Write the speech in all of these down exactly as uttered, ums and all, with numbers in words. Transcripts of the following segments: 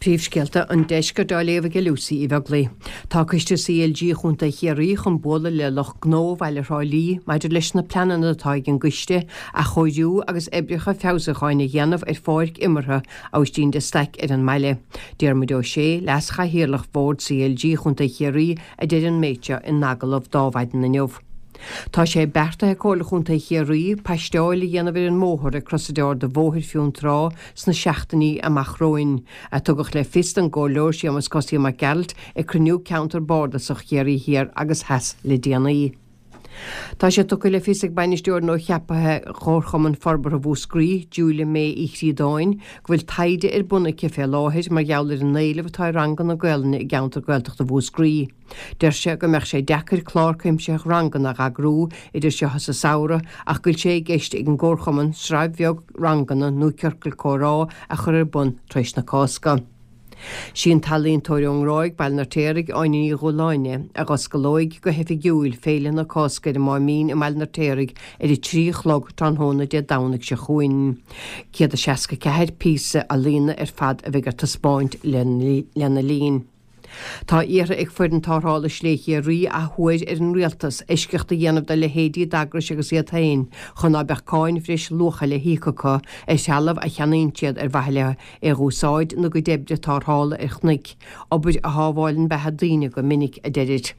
Príomhscéalta an Deiscirt á léamh ag Lucy Uí Bheaglaoi. Tá coiste CLG Chontae Chiarraí chun bualadh le lucht gnó Bhaile Thrá Lí maidir leis na pleananna atá ag an gcoiste athchóiriú agus oibreacha feabhsúcháin a dhéanamh ar pháirc imeartha Aibhistín de Staic ar an mbaile. Diarmuid Ó Sé, Leas-Chathaoirleach Bhord CLG Chontae Chiarraí a deir an méid seo in agallamh d'Adhmhaidin inniu. Tá sé beartaithe ag Comhairle Chontae Chiarraí paisteáil a dhéanamh ar an mbóthar ag Crosaire Ard an Bhóthair Fionntrá sna seachtainí amach romhainn, a tugadh le fios don gComhairleoir Séamus Cosaí Mac Gearailt ag cruinniú ceantar bardasach Chiarraí Thiar agus Theas le déanaí. Tá sé tugtha le fios ag bainisteoir nua-cheaptha Chomharchumann Forbartha Mhúscraí, Julia May Uí Chríodáin, go bhfuil taighde ar bun aici fé láthair mar gheall ar an éileamh atá ar ranganna Gaelainne i gceantar Gaeltachta Mhúscraí. Deir sé go mbeadh sé deacair clár cuimsitheach ranganna a eagrú idir seo is an samhradh ach go bhfuil sé i gceist ag an gcomharchumann sraith bheag ranganna nó ciorcal comhrá a chur ar bun tar éis na Cásca. Sí an t-ealaíontóir ón nGráig, Baile an Fheirtéaraigh, Áine Ní Dhúláine, a dh'osclóidh go hoifigiúil Féile na Cásca ar an Máimín i mBaile an Fheirtéaraigh ar a trí a chlog tráthnóna Dé Domhnaigh seo chugainn. Céad is seasca ceathair píosa ealaíne ar fad a bheidh ar taispeáint lena linn. Tá iarrtha ag foireann tarrthála Slé Chiarraí athuair ar an Rialtas eisceacht a dhéanamh do leithéidí d'eagrais agus iad féin chun ná beadh cáin bhreis luacha le híoc acu ar threalamh a cheannaíonn siad ar mhaithe le é dh'úsáid ina gcuid oibre tarrthála ar chnoic, obair a shábháileann beatha daoine go minic, a deirid.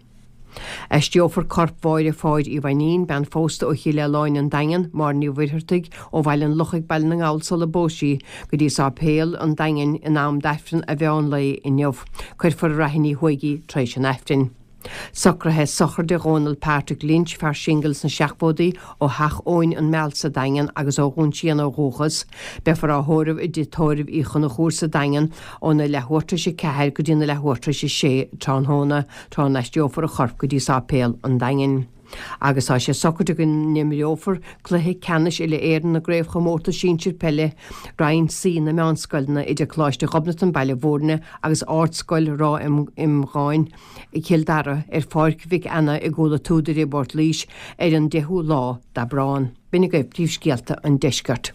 Aistreofar corp Mháire Pháid Uí Mhainnín, bean phósta ó Chill Aoláin, An Daingean, Máire Ní Mhuircheartaigh, ó Bhaile an Lochaigh, Baile na nGall sula bpós sí, go dtí Sáipéal an Daingin in am d'Aifreann a mheán lae inniu. Cuirfear i Raithín Uí Thuaigh í tar éis an Aifrinn. Socruithe sochraide Dhónal Patrick Lynch, fear singil sna seachtóidí, ó Theach Eoin, An Meal sa Daingean agus ó Dhún Síon ó dhúchas. Beifear á thórramh i dTigh Tórraimh Uí Chonchúir sa Daingean óna leathuair tar éis a ceathair go dtí na leathuair tar éis a sé tráthnóna, tráth a n-aistreofar a chorp go dtí Sáipéal an Daingin. Agus tá sé socraithe go n-imreofar cluiche ceannais uile-Éireann na gCraobhchomórtas Sinsir Peile, Roinn C na Meánscoileanna idir Coláiste Ghobnatan, Baile Bhúirne agus Ardscoil Ráth Iomgháin, Cill Dara, ar Pháirc Mhic Anna i gCúil a' tSúdaire i bPort Laoise ar an deichiú lá d'Aibreán. B'in agaibh príomhscéalta an deiscirt.